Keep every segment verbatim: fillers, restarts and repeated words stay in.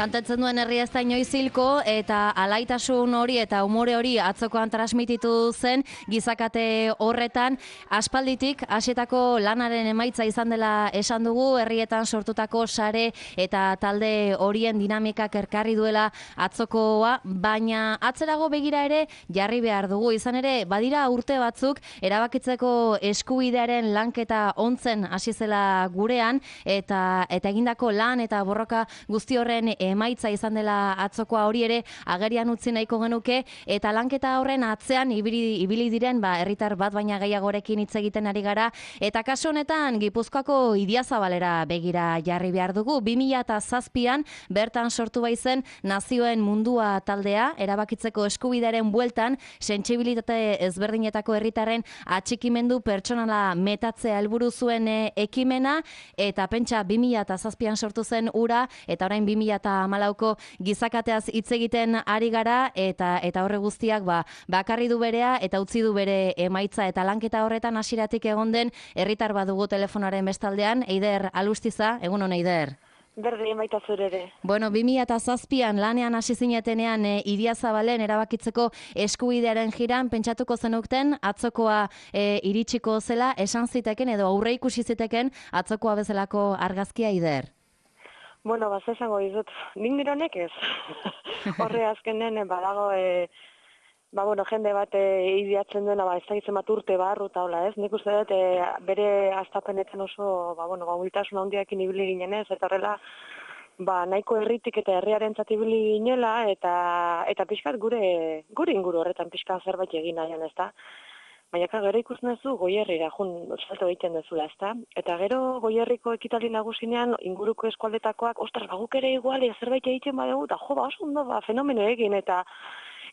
Kantatzen duen herria ez da inoiz hilko, eta alaitasun hori eta umore hori atzokoan transmititu zen gizakate horretan. Aspalditik hasietako lanaren emaitza izan dela esan dugu, herrietan sortutako sare eta talde horien dinamikak erkarri duela atzokoa, baina atzerago begira ere jarri behar dugu. Izan ere, badira urte batzuk erabakitzeko eskubidearen lanketa ontzen hasi zela gurean, eta eta egindako lan eta borroka guzti horren emaitza izan dela atzokoa hori ere agerian utzi nahiko genuke, eta lanketa horren atzean ibili, ibili diren ba, herritar bat baina gehiagorekin hitz egiten ari gara, eta kasu honetan Gipuzkoako Idiazabalera begira jarri behar dugu. bi mila zazpian bertan sortu baizen Nazioen Mundua taldea, erabakitzeko eskubidearen bueltan sentsibilitate ezberdinetako herritarren atxikimendu pertsonala metatzea helburu zuen e, ekimena, eta pentsa bi mila zazpian sortu zen ura, eta orain bi mila hamalauko gizakateaz hitz egiten ari gara, eta eta horre guztiak ba, bakarri du berea eta utzi du bere emaitza, eta lanketa horretan hasieratik egon den herritar badugu telefonaren bestaldean. Eider Alustiza, egun on Eider. Berdin baita zure ere. Bueno, bi mila zazpian lanean hasi zinetenean e, Idiazabalen erabakitzeko eskubidearen jiran, pentsatuko zenukten atzokoa e, iritsiko zela, esan ziteken edo aurre ikusi ziteken atzokoa bezalako argazkia, Eider? Bueno, baz esango dizut, nik nironek ez. Horre azkenen badago, e, ba, bueno, jende bat e, ideatzen duena, ba, ez da gitzen bat urte barru eta hola, ez? Nik uste dut, e, bere astapenetan oso, ba, bueno, ba, mobiltasun handiakin ibili ginen ez, eta horrela, ba, nahiko herritik eta herriaren ibili ginela, eta eta pixkat gure, gure inguru horretan pixkat zerbait egin nahian, ez da? Baina gero ikusten duzu Goierrira jun salto egiten duzula, ezta? Eta gero Goierriko ekitaldi nagusinean inguruko eskualdetakoak, ostras, ba guk ere igual zerbait egiten badugu, eta jo, ba oso ondo ba fenomeno egin, eta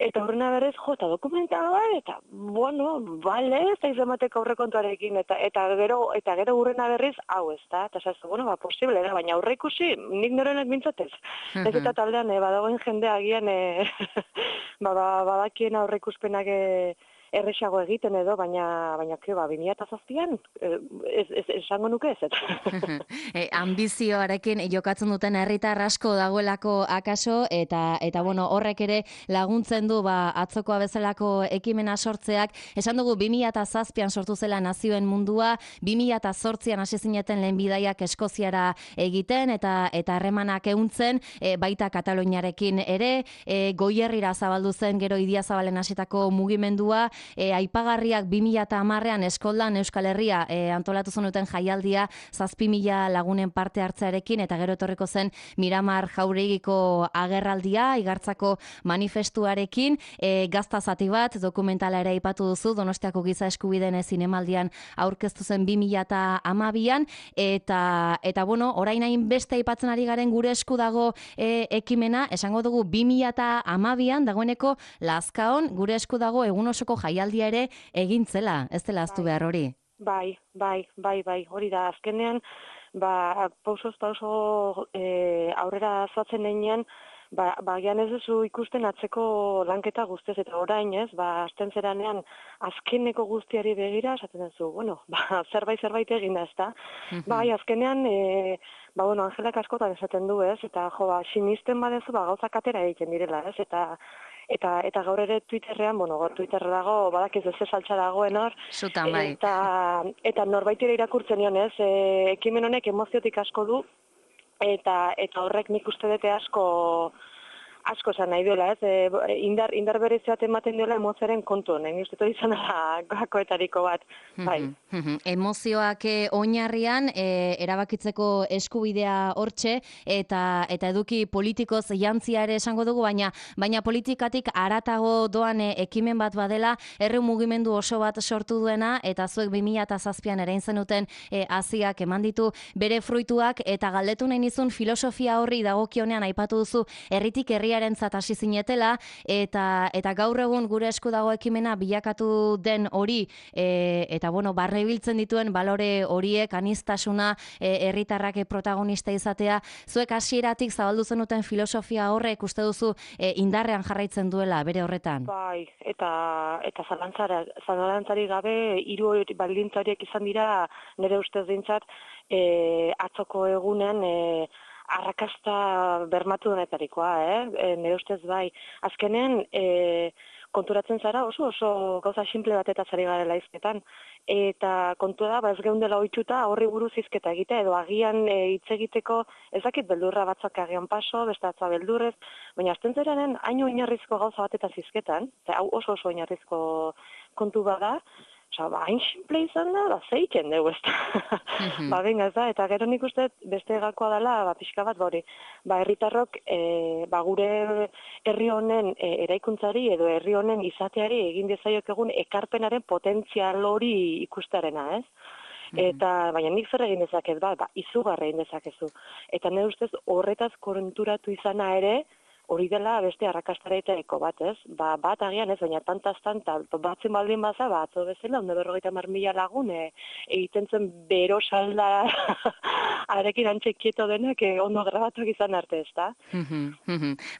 eta horrena berez, jo, eta dokumentala, eta bueno, bale, ez da izamateko aurrekontuarekin, eta eta gero eta gero urrena berriz, hau, ezta? Eta esazu, bueno, ba posible da, baina aurre ikusi, nik norenek mintzatez. Ez eta taldean e, badagoen jende agian e, ba, ba, badakien aurre ikuspenak e, erresago egiten edo, baina baina ke ba bi mila zazpian ez ez esango nuke ez. e, ambizioarekin jokatzen duten herritar asko dagoelako akaso, eta eta bueno, horrek ere laguntzen du ba atzokoa bezalako ekimena sortzeak. Esan dugu bi mila zazpian sortu zela Nazioen Mundua, bi mila zortzian hasi zineten lehen bidaiak Eskoziara egiten eta eta harremanak ehuntzen, e, baita Kataluniarekin ere, e, Goierrira zabaldu zen gero Idiazabalen hasitako mugimendua. E, aipagarriak bi mila hamarrean Eskoldan Euskal Herria e, antolatu zenuten jaialdia zazpi mila lagunen parte hartzearekin, eta gero etorriko zen Miramar Jauregiko agerraldia, Igartzako manifestuarekin, e, gazta zati bat, dokumentala ere aipatu duzu, Donostiako Giza Eskubideen zinemaldian aurkeztu zen bi mila hamabian, eta, eta bueno, orain hain beste aipatzen ari garen gure esku dago e, ekimena, esango dugu bi mila hamabian dagoeneko Lazkaon gure esku dago egun osoko jaialdia ere egin zela, ez dela aztu behar hori. Bai, bai, bai, bai, hori da, azkenean, ba, pausoz pauso e, aurrera zoatzen denean, ba, ba, gian ez duzu ikusten atzeko lanketa guztiz, eta orain ez, ba, azten zeranean, azkeneko guztiari begira, esaten duzu, bueno, ba, zerbait, zerbait egin da, ez da? Bai, azkenean, e, ba, bueno, Angelak askotan esaten du, ez, eta, jo, ba, sinisten badezu, ba, gauzak atera egiten direla, ez, eta, Eta eta gaur ere Twitterrean, bueno, gaur Twitterra dago, badakiz ez saltza dagoen hor. Zutan, bai. Eta, eta norbaitire irakurtzen nion, ez, e, ekimen honek emoziotik asko du, eta eta horrek nik uste dute asko asko esan nahi duela, ez, e, indar, indar bereziat ematen duela emozioaren kontu honen, uste dut izan da gakoetariko bat, bai. Emozioak oinarrian, e, erabakitzeko eskubidea hortxe, eta eta eduki politikoz jantzia ere esango dugu, baina baina politikatik haratago doan e, ekimen bat badela, herri mugimendu oso bat sortu duena, eta zuek bi mila zazpian ere zenuten e, haziak eman ditu bere fruituak, eta galdetu nahi nizun filosofia horri dagokionean aipatu duzu herritik herria herriarentzat hasi zinetela, eta eta gaur egun gure esku dago ekimena bilakatu den hori, e, eta bueno, barne biltzen dituen balore horiek, aniztasuna, herritarrak e, protagonista izatea, zuek hasieratik zabaldu zenuten filosofia horrek uste duzu e, indarrean jarraitzen duela bere horretan? Bai, eta eta zalantzara, zalantzari gabe hiru baldintza horiek izan dira nire ustez dintzat, e, atzoko egunen e, arrakasta bermatu denetarikoa, eh? E, nire ustez bai. Azkenean, e, konturatzen zara oso oso gauza simple batetaz ari garela hizketan. Eta kontua da, ba ez geundela ohituta horri buruz hizketa egitea, edo agian e, hitz egiteko ez dakit beldurra batzuk agian paso, beste atza beldurrez, baina azten zeranen haino oinarrizko gauza batetaz hizketan, eta hau oso oso oinarrizko kontu bada, Osa, ba, hain simple izan da, ba, zeiten dugu, ez da. Ba, benga, ez da, eta gero nik uste beste gakoa dela, ba, pixka bat, bori, ba, herritarrok, e, ba, gure herri honen e, eraikuntzari edo herri honen izateari egin dezaiok egun ekarpenaren potentzial hori ikustearena, ez? Eta, baina nik zer egin dezaket, ba, ba, izugarra egin dezakezu. Eta nire ustez horretaz konturatu izana ere, hori dela beste arrakastaretariko bat, ez? Ba, bat agian ez, baina tantaz tanta, batzen baldin baza, ba, atzo bezala, ondo berrogeita mar mila lagun, e, egiten zen bero salda arekin antxekieto denak, e, ondo grabatuak izan arte, ez da?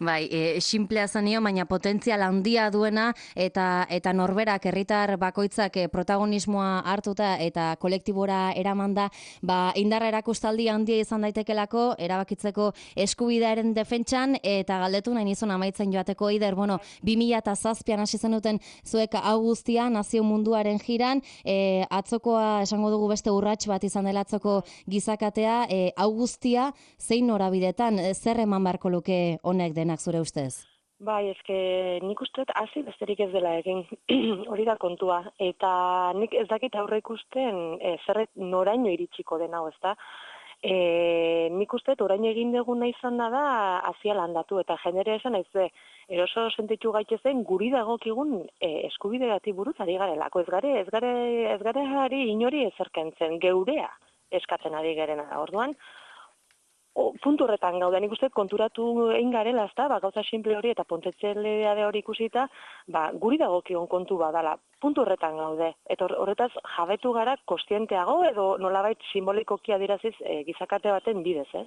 Bai, e, simplea zanio, baina potentzial handia duena, eta eta norberak, herritar bakoitzak e, protagonismoa hartuta eta kolektibora eramanda, ba, indarra erakustaldi handia izan daitekelako, erabakitzeko eskubidearen defentsan, eta galdetu nahi nizun amaitzen joateko, Eider, bueno, bi mila zazpian hasi zenuten zuek hau guztia, nazio munduaren jiran, e, atzokoa esango dugu beste urrats bat izan dela atzoko gizakatea, e, hau guztia zein norabidetan, e, zer eman beharko luke honek denak zure ustez? Bai, eske nik uste hasi besterik ez dela egin, hori da kontua, eta nik ez dakit aurre ikusten e, zerret noraino iritsiko den hau, ez da? E, nik uste orain egin deguna izan da azia landatu, eta jendere esan ez de, eroso sentitu gaitezen guri dagokigun e, eskubide gati buruz ari garelako, ez gare, ez gare, ez gare hari inori ezerkentzen, geurea eskatzen ari garena, orduan, O, puntu horretan gauda, nik uste konturatu egin garela, ezta, ba, gauza simple hori eta pontetzelea hori ikusita, ba, guri dagokion kontu badala, puntu horretan gaude. Eta horretaz jabetu gara kostienteago edo nolabait simbolikoki adiraziz e, gizakate baten bidez, ez?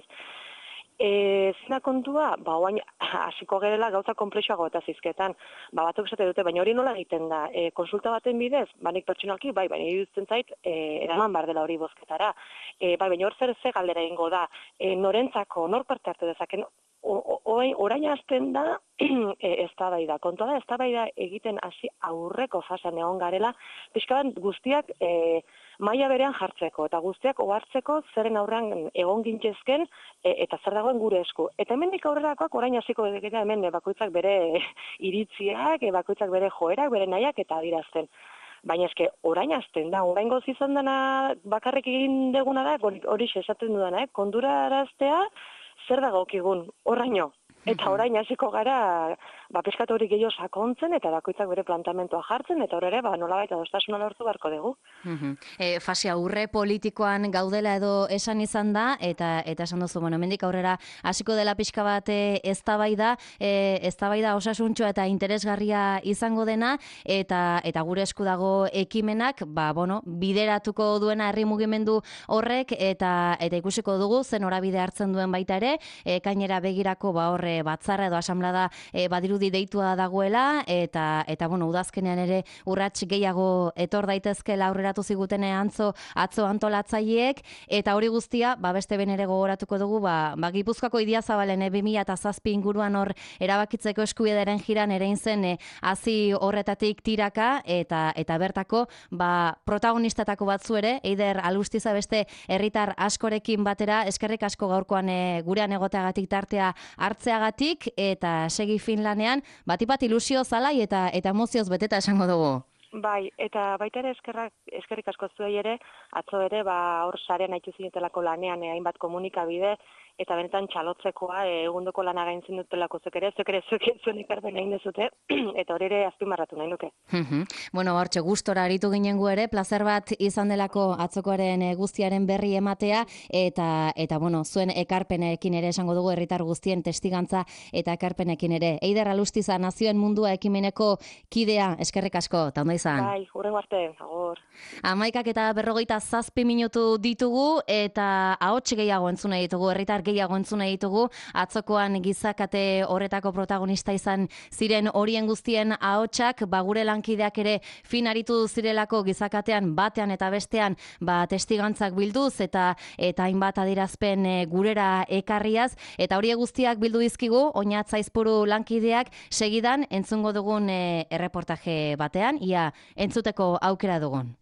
E, zina kontua, ba, oain, hasiko gerela gauza komplexuago eta zizketan, ba, batzuk esate dute, baina hori nola egiten da, e, konsulta baten bidez, ba, nik pertsonalki, bai, baina iruditzen zait, e, eraman bar dela hori bozketara, e, bai, baina hor zer ze galdera egingo da, e, norentzako, nor parte hartu dezaken, orain hasten da, e, eztabaida, kontua da, eztabaida egiten hasi aurreko fasean egon garela, pixka bat guztiak, e, maila berean jartzeko, eta guztiak ohartzeko zeren aurrean egon gintzezken e, eta zer dagoen gure esku. Eta hemendik aurrerakoak orain hasiko dira hemen e, bakoitzak bere iritziak, e, bakoitzak bere joerak, bere nahiak eta adirazten. Baina eske orain hasten da, orain goz izan dena bakarrik egin deguna da, hori esaten dudana, eh? Konduraraztea zer dagokigun, oraino. Eta orain hasiko gara, ba, peskat hori gehiago sakontzen, eta bakoitzak bere plantamentoa jartzen, eta horre, ba, nolabait adostasuna lortu beharko dugu. E, fase aurre politikoan gaudela edo esan izan da, eta eta esan duzu, bueno, hemendik aurrera hasiko dela pixka bat eztabaida, e, eztabaida osasuntxoa eta interesgarria izango dena, eta eta gure esku dago ekimenak, ba, bueno, bideratuko duena herri mugimendu horrek, eta eta ikusiko dugu, zen norabide hartzen duen baita ere, e, kainera begirako, ba, horre batzarra edo asamblada e, badirudi deitua dagoela, eta eta bueno, udazkenean ere urrats gehiago etor daitezkela aurreratu ziguten antzo atzo antolatzaileek, eta hori guztia, ba beste ben ere gogoratuko dugu, ba, ba Gipuzkoako Idiazabalen e, bi mila zazpi inguruan hor erabakitzeko eskubidearen jiran erein zen e, hazi horretatik tiraka, eta eta bertako ba protagonistetako batzu ere, Eider Alustiza beste herritar askorekin batera, eskerrik asko gaurkoan e, gurean egoteagatik tartea hartzeagatik, eta segi Finlanean, batipat ilusio zalai eta eta emozioz beteta esango dugu. Bai, eta baita ere eskerrak, eskerrik asko zuei ere, atzo ere, ba, hor sarean haitu zinetelako lanean, eh, hainbat komunikabide, eta benetan txalotzekoa, eh, egundoko lana gaintzen dutelako zuek ere, zuek ere zuek zuen ekarpen egin dezute, eta hori ere azpimarratu nahi nuke. Bueno, hortxe gustora aritu ginen gu ere, plazer bat izan delako atzokoaren e, guztiaren berri ematea, eta, eta bueno, zuen ekarpenekin ere esango dugu herritar guztien testigantza eta ekarpenekin ere. Eider Alustiza, Nazioen Mundua ekimeneko kidea, eskerrik asko, eta ondo izan. Bai, hurrengo arte, agor. Amaikak eta berrogeita zazpi minutu ditugu, eta ahots gehiago entzune ditugu herritar gehiago entzuna ditugu, atzokoan gizakate horretako protagonista izan ziren horien guztien ahotsak, ba gure lankideak ere finaritu zirelako gizakatean batean eta bestean ba testigantzak bilduz eta eta hainbat adierazpen e, gurera ekarriaz, eta hori guztiak bildu dizkigu Oñat Zaizpuru lankideak, segidan entzungo dugun e, erreportaje batean, ia entzuteko aukera dugun.